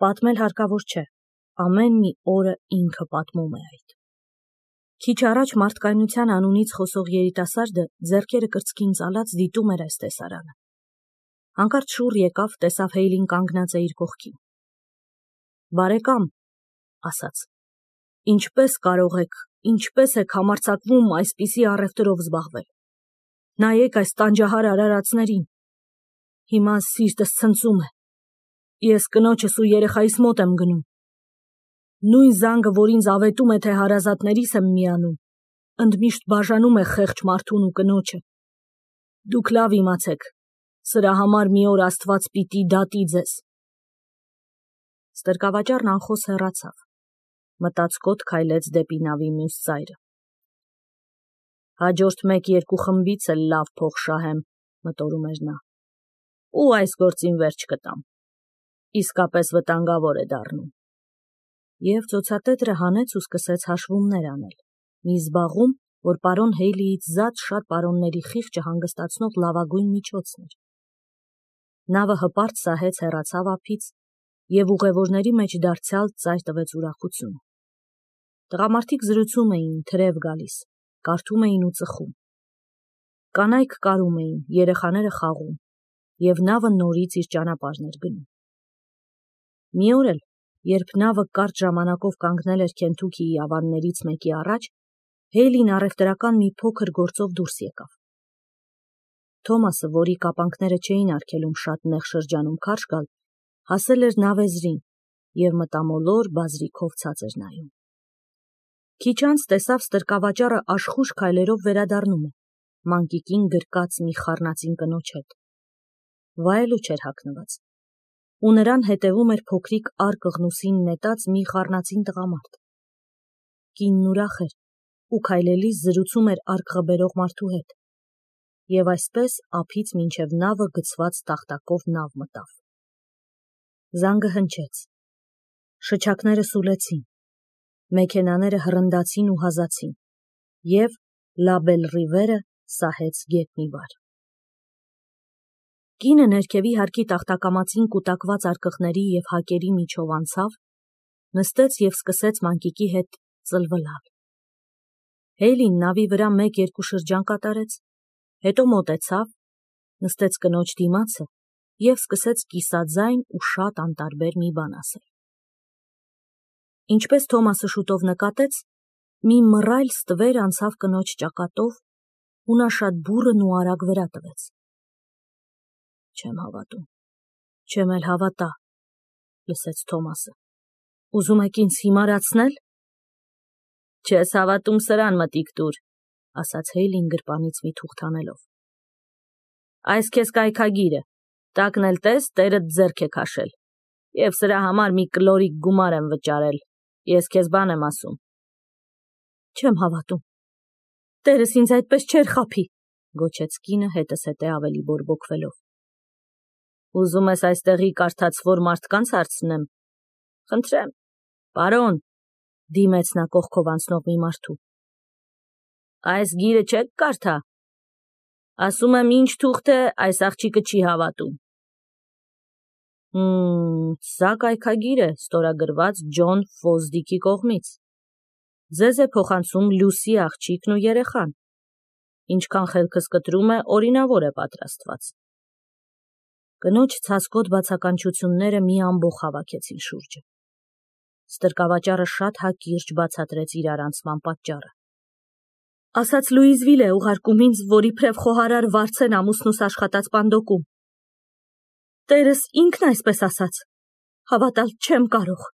Պատմել հարկավոր չէ, ամեն մի օրը ինքը պատմում է այդ։ Քիչ առաջ մարդկայնության անունից խոսող երիտասարդը ձեռքերը կրծքին ծալած դիտում էր այս տեսարանը։ Հանկարծ շուռ եկավ, տեսավ Հեյլին կանգնած է իր կողքին։ Բարեկամ, ասաց, ինչպես եք համարձակվում այսպիսի առևտրով զբաղվել։ Նայեք այս տանջահար արարածներին։ Հիմա սիրտս ցնծում է։ Ես կնոջս ու երեխայիս մոտ եմ գնում։ Նույն զանգը, որ ինձ ավետում է, թե հարազատներիս եմ միանում, ընդմիշտ բաժանում է խեղճ մարդուն ու կնոջը։ Դուք լավ իմացեք, սրա համար մի օր Աստված պիտի դատի ձեզ։ Ստրկավաճառն անխոս հեռացավ, մտածկոտ քայլեց դեպի նավի մյուս ծայրը։ Հաջորդ 1-2 խմբից էլ լավ փող շահեմ, մտորում էր նա, ու այս գործին վերջ կտամ։ Իսկապես վտանգավոր է դառնում։ Եվ ծոցատետրը հանեց ու սկսեց հաշվումներ անել, մի զբաղում, որ պարոն Հեյլիից զատ շատ պարոնների խիղճը հանգստացնող լավագույն միջոցն էր։ Նավը հպարտ սահեց հեռացավ ափից, և ուղևորների մեջ դարձյալ ծայր տվեց ուրախություն։ Տղամարդիկ զրուցում էին, թրև գալիս, կարդում էին ու ծխում։ Կանայք կարում էին, երեխաները խաղում, և նավը նորից իր ճանապարհն էր գնում։ Մի օր էլ, երբ նավը կարճ ժամանակով կանգնել էր Քենթուքիի ավաններից մեկի առաջ, Հեյլին առևտրական մի փոքր գործով դուրս եկավ։ Թոմասը, որի կապանքները չէին արգելում շատ նեղ շրջանում քարշ գալ, հասել էր նավեզրին և մտամոլոր բազրիքով ցած էր նայում։ Քիչ անց տեսավ ստրկավաճառը աշխույժ քայլերով վերադառնում է, մանկիկին գրկած մի խառնածին կնոջ հետ։ Վայելու չէր հագնված, ու նրան հետևում էր փոքրիկ առ կղնուսին նետած մի խառնածին տղամարդ։ Կինն ուրախ էր ու քայլելիս զրուցում էր արկղը բերող մարդու հետ, և այսպես ափից մինչև նավը գցված տախտակով նավ մտավ։ Զանգը հնչեց, շչակները սուլեցին, մեքենաները հռնդացին ու հազացին, և Լա Բել Ռիվերը սահեց գետնի վար։ Կինը ներքևի հարկի տախտակամածին կուտակված արկղների և հակերի միջով անցավ, նստեց և սկսեց մանկիկի հետ ծլվլալ։ Հեյլին նավի վրա 1-2 շրջան կատարեց, հետո մոտեցավ, նստեց կնոջ դիմացը և սկսեց կիսաձայն ու շատ անտարբեր մի բան ասել։ Ինչպես Թոմասը շուտով նկատեց, մի մռայլ ստվեր անցավ կնոջ ճակատով, ու նա շատ բուռն ու արագ վրա տվեց։ Չեմ հավատում, չեմ էլ հավատա, լսեց Թոմասը։ Ուզում եք ինձ հիմարացնել։ Չես հավատում, սրան մտիկ տուր, ասաց Հեյլին գրպանից մի թուղթ անելով։ Այս քեզ կայքագիրը, տակն էլ տես, տերդ ձեռք է քաշել, և սրա համար մի կլորիկ գումար եմ վճարել, ես քեզ բան եմ ասում։ Չեմ հավատում, տերս ինձ այդպես չէր խաբի, գոչեց կինը հետս հետե ավելի բորբոքվելով։ Ուզում ես այստեղի կարդացվոր մարդկանց հարցնեմ։ Խնդրեմ, պարոն, դիմեց նա կողքով անցնող մի մարդու։ Այս գիրը չեք կարդա։ Ասում եմ, ինչ թուղթ է, այս աղջիկը չի հավատում։ Սա կայքագիր է, ստորագրված Ջոն Ֆոզդիկի կողմից։ Ձեզ է փոխանցում Լուսի աղջիկն ու երեխան։ Ինչքան խելքս կտրում է, օրինավոր է պատրաստված։ Կնոջ ցասկոտ բացականչությունները մի ամբոխ հավաքեցին շուրջը։ Ստրկավաճառը շատ հակիրճ բացատրեց իր արանցման պատճառը։ Ասաց Լուիզվիլ է ուղարկում ինձ, որ իբրև խոհարար վարձեն ամուսնուս աշխատած պանդոկում։ Տերս ինքն այսպես ասաց։ Հավատալ չեմ կարող։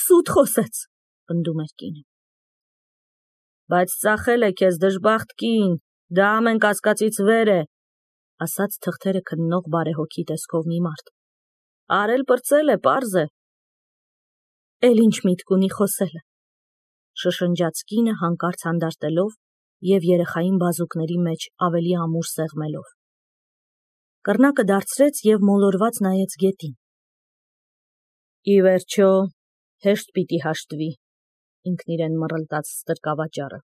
Սուտ խոսեց, պնդում էր կինը։ Բայց ծախել է քեզ դժբախտ կին, դա ամեն կասկածից վեր է, ասաց թղթերը քննող բարեհոգի տեսքով մի մարդ։ Արել պրծել է, պարզ է։ Էլ ինչ միտք ունի խոսելը, շշնջաց կինը հանկարծ հանդարտելով և երեխային բազուկների մեջ ավելի ամուր սեղմելով։ Կռնակը դարձրեց և մոլորված նայեց գետին։ Ի վերջո, հեշտ պիտի հաշտվի, ինքն իրեն մռլտաց ստրկավաճառը։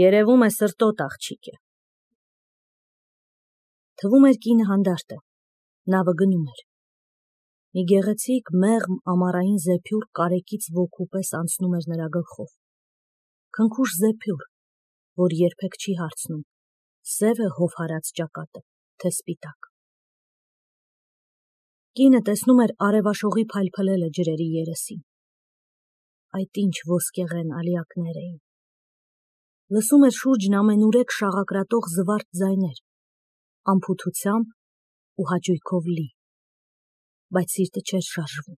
Երևում է սրտոտ աղջիկ է։ Թվում էր կինը հանդարտ է, նավը գնում էր։ Մի գեղեցիկ մեղմ ամառային զեփյուռ կարեկից ոգու պես անցնում էր նրա գլխով։ Քնքուշ զեփյուռ, որ երբեք չի հարցնում, սև է հով հարած ճակատը, թե սպիտակ։ Կինը տեսնում էր արևաշողի փայլփլելը ջրերի երեսին։ Այդ ինչ ոսկեղեն ալիակներ էին։ Լսում էր շուրջն ամենուրեք շաղակրատող զվարթ ձայներ, անփութությամբ ու հաճույքով լի, բայց սիրտը չէր շարժվում,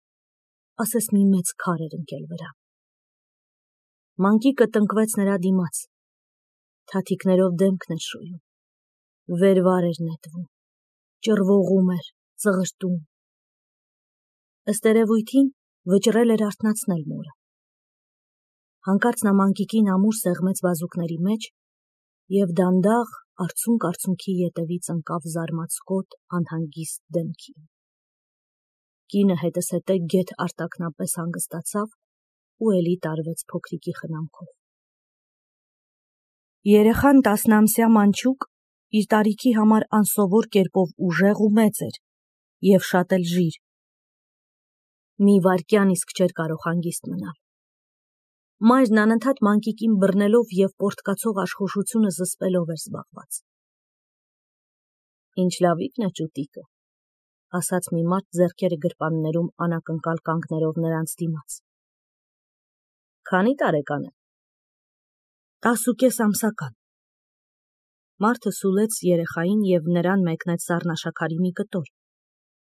ասես մի մեծ քար էր ընկել վրա։ Մանկիկը տնկվեց նրա դիմաց, թաթիկներով դեմքն էր շոյում, վեր-վար էր նետվում, ճռվողում էր, ծղրտում։ Ըստ երևույթին վճռել էր արթնացնել մորը։ Հանկարծ նա մանկիկին ամուր սեղմեց բազուկների մեջ և դանդաղ արցունք-արցունքի ետևից ընկավ զարմացկոտ անհանգիստ դեմքին։ Կինը հետզհետե գեթ արտակնապես հանգստացավ ու էլի տարվեց փոքրիկի խնամքով։ Երեխան 10-ամսյա մանչուկ իր տարիքի համար անսովոր կերպով ուժեղ ու մեծ էր և շատ էլ ժիր։ Մի վայրկյան իսկ չէր կարող հանգիստ մնալ։ Մայրն անընդհատ մանկիկին բռնելով և պորտկացող աշխուժությունը զսպելով էր զբաղված։ Ինչ լավիկն է ճուտիկը, ասաց մի մարդ ձեռքերը գրպաններում անակնկալ կանգներով նրանց դիմաց։ Քանի տարեկան է։ 10.5 ամսական։ Մարդը սուլեց երեխային և նրան մեկնեց սառնաշաքարի մի կտոր,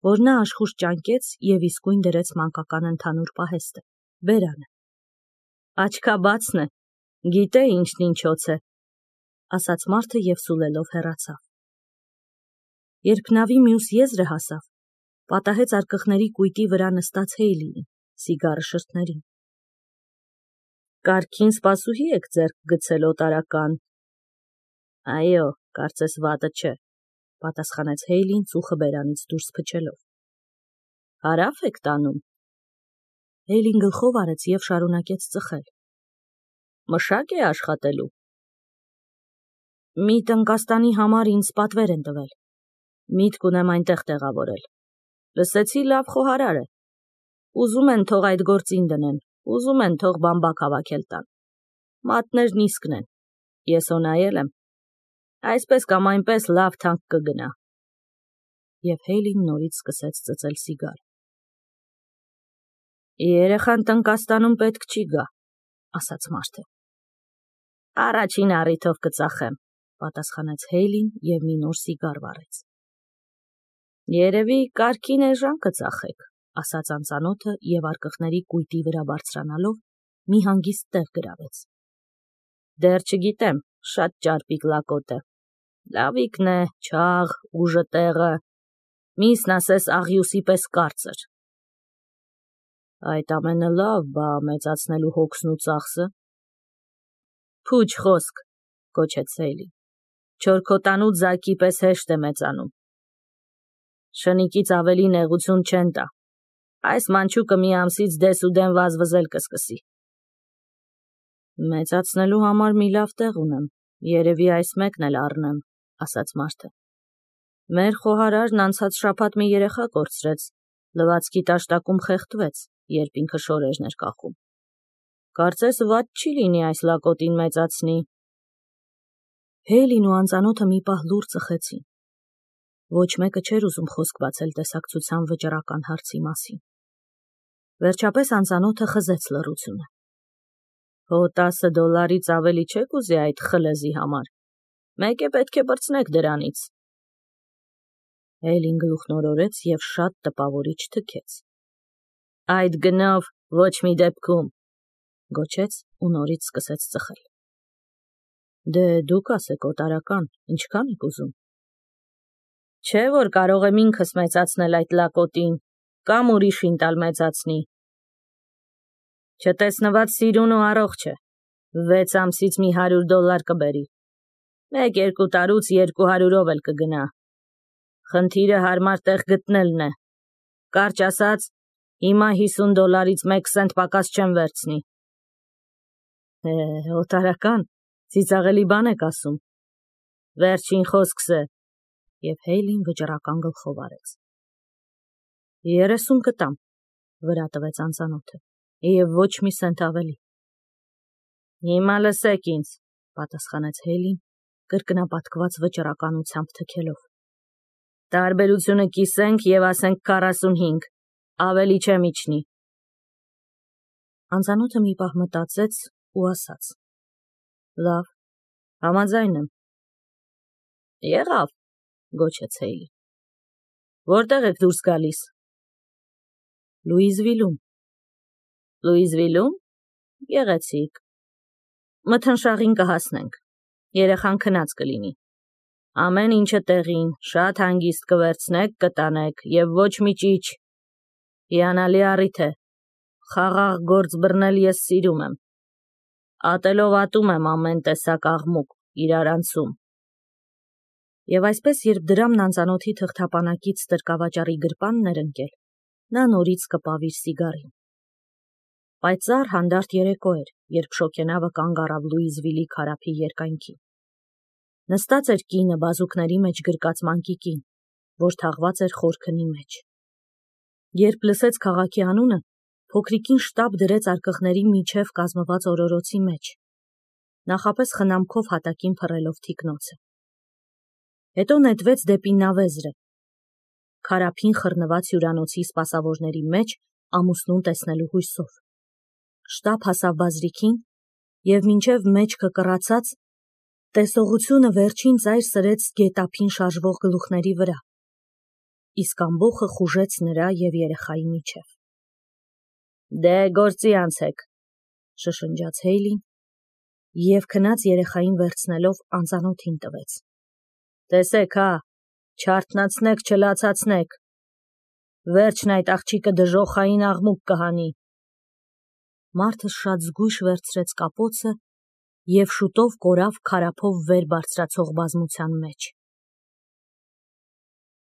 որ նա աշխույժ ճանկեց և իսկույն դրեց մանկական ընդհանուր պահեստը, բերանը։ Աչքաբացն է, գիտե ինչն ինչոց է, ասաց մարդը և սուլելով հեռացավ։ Երբ նավի մյուս եզրը հասավ, պատահեց արկղների կույտի վրա նստած Հեյլիին, սիգարը շրթներին։ Կարգին սպասուհի եք ձեռք գցել օտարական։ Այո, կարծես վատը չէ, պատասխանեց Հեյլին ծուխը բերանից դուրս փչելով։ Հարավ եք տանում։ Հեյլին գլխով արեց և շարունակեց ծխել։ Մշակ է աշխատելու։ Մի տնկաստանի համար ինձ պատվեր են տվել։ Միտք ունեմ այնտեղ տեղավորել։ Լսեցի լավ խոհարար է։ Ուզում են թող այդ գործին դնեն, ուզում են թող բամբակ հավաքել տան։ Մատներն իսկն են։ Ես հո նայել եմ։ Այսպես կամ այնպես լավ թանկ կգնա։ Եվ Հեյլին նորից սկսեց ծծել սիգար։ Երեխան տնկաստանում պետք չի գա, ասաց մարդը։ Առաջին առիթով կծախեմ, պատասխանեց Հեյլին և մի նոր սիգար վառեց։ Երևի կարգին էժան կծախեք, ասաց անծանոթը և արկղների կույտի վրա բարձրանալով մի հանգիստ տեղ գրավեց։ Դեռ չգիտեմ, շատ ճարպիկ լակոտ է։ Լավիկն է, չաղ, ուժը տեղը, միսն ասես աղյուսի պես կարծր։ Այդ ամենը լավ, բա մեծացնելու հոգսն ու ծախսը։ Փուչ խոսք, գոչեց Հեյլին։ Չորքոտանուց զայքի պես հեշտ է մեծանում։ Շնիկից ավելի նեղություն չեն տա։ Այս մանչուկը մի ամսից դես ու դեն վազվզել կսկսի։ Մեծացնելու համար մի լավ տեղ ունեմ, երևի այս մեկն էլ առնեմ, ասաց մարդը։ Մեր խոհարարն անցած շաբաթ մի երեխա կորցրեց, լվացքի տաշտակում խեղդվեց, երբ ինքը շորերն էր կախում։ Կարծես վատ չի լինի այս լակոտին մեծացնի։ Հեյլին ու անծանոթը մի պահ լուռ ծխեցին։ Ոչ մեկը չէր ուզում խոսք բացել տեսակցության վճռական հարցի մասին։ Վերջապես անծանոթը խզեց լռությունը։ Հո $10 ավելի չեք ուզի այդ խլեզի համար։ Մեկ է պետք է բրցնեք դրանից։ Հեյլին գլուխն օրորեց և շատ տպավորիչ թքեց։ Այդ գնով ոչ մի դեպքում, գոչեց ու նորից սկսեց ծխել։ Դե դուք ասեք օտարական, ինչքան եք ուզում։ Չէ, որ կարող եմ ինքս մեծացնել այդ լակոտին, կամ ուրիշին տալ մեծացնի։ Չտեսնված սիրուն ու առողջ է, 6 ամսից մի $100 կբերի, 1-2 տարուց 200-ով էլ կգնա։ Խնդիրը հարմար տեղ գտնելն է։ Կարճ ասած, հիմա $50-ից 1 սենտ պակաս չեմ վերցնի։ Օտարական, ծիծաղելի բան եք ասում։ Վերջին խոսքս է, և Հեյլին վճռական գլխով արեց։ 30 կտամ, վրա տվեց անծանոթը, և ոչ մի սենտ ավելի։ Հիմա լսեք ինձ, պատասխանեց Հեյլին, կրկնապատկված վճռականությամբ թքելով։ Տարբերությունը կիսենք և ասենք 45, ավելի չեմ իջնի։ Անծանոթը մի պահ մտածեց ու ասաց. Լավ, համաձայն եմ։ Եղավ, գոչեց Հեյլին։ Որտեղ եք դուրս գալիս։ Լուիզվիլում։ Լուիզվիլում։ Գեղեցիկ։ Մթնշաղին կհասնենք։ Երեխան քնած կլինի։ Ամեն ինչը տեղին, շատ հանգիստ կվերցնեք, կտանեք և ոչ մի ճիչ։ Հիանալի առիթ է։ Խաղաղ գործ բռնել ես սիրում եմ։ Ատելով ատում եմ ամեն տեսակ աղմուկ, իրարանցում։ Եվ այսպես, երբ դրամն անծանոթի թղթապանակից ստրկավաճառի գրպանն էր ընկել, նա նորից կպավ իր սիգարին։ Պայծառ հանդարտ երեկո էր, երբ շոգենավը կանգ առավ Լուիզվիլի քարափի երկայնքին։ Նստած էր կինը բազուկների մեջ գրկած մանկիկին, որ թաղված էր խոր քնի մեջ։ Երբ լսեց քաղաքի անունը, փոքրիկին շտապ դրեց արկղների միջև կազմված օրորոցի մեջ, նախապես խնամքով հատակին փռելով թիկնոցը։ Հետո նետվեց դեպի նավեզրը, քարափին խռնված հյուրանոցի սպասավորների մեջ ամուսնուն տեսնելու հույսով։ Շտապ հասավ բազրիքին և մինչև մեջքը կռացած, տեսողությունը վերջին ծայր սրեց գետափին շարժվող գլուխների վրա, իսկ ամբոխը խուժեց նրա և երեխայի միջև։ Դե գործի անցեք, շշնջաց Հեյլին և քնած երեխային վերցնելով անծանոթին տվեց։ Տեսեք, հա, չարթնացնեք, չլացացնեք։ Վերջն այդ աղջիկը դժոխային աղմուկ կհանի։ Մարդը շատ զգույշ վերցրեց կապոցը և շուտով կորավ քարափով վեր բարձրացող բազմության մեջ։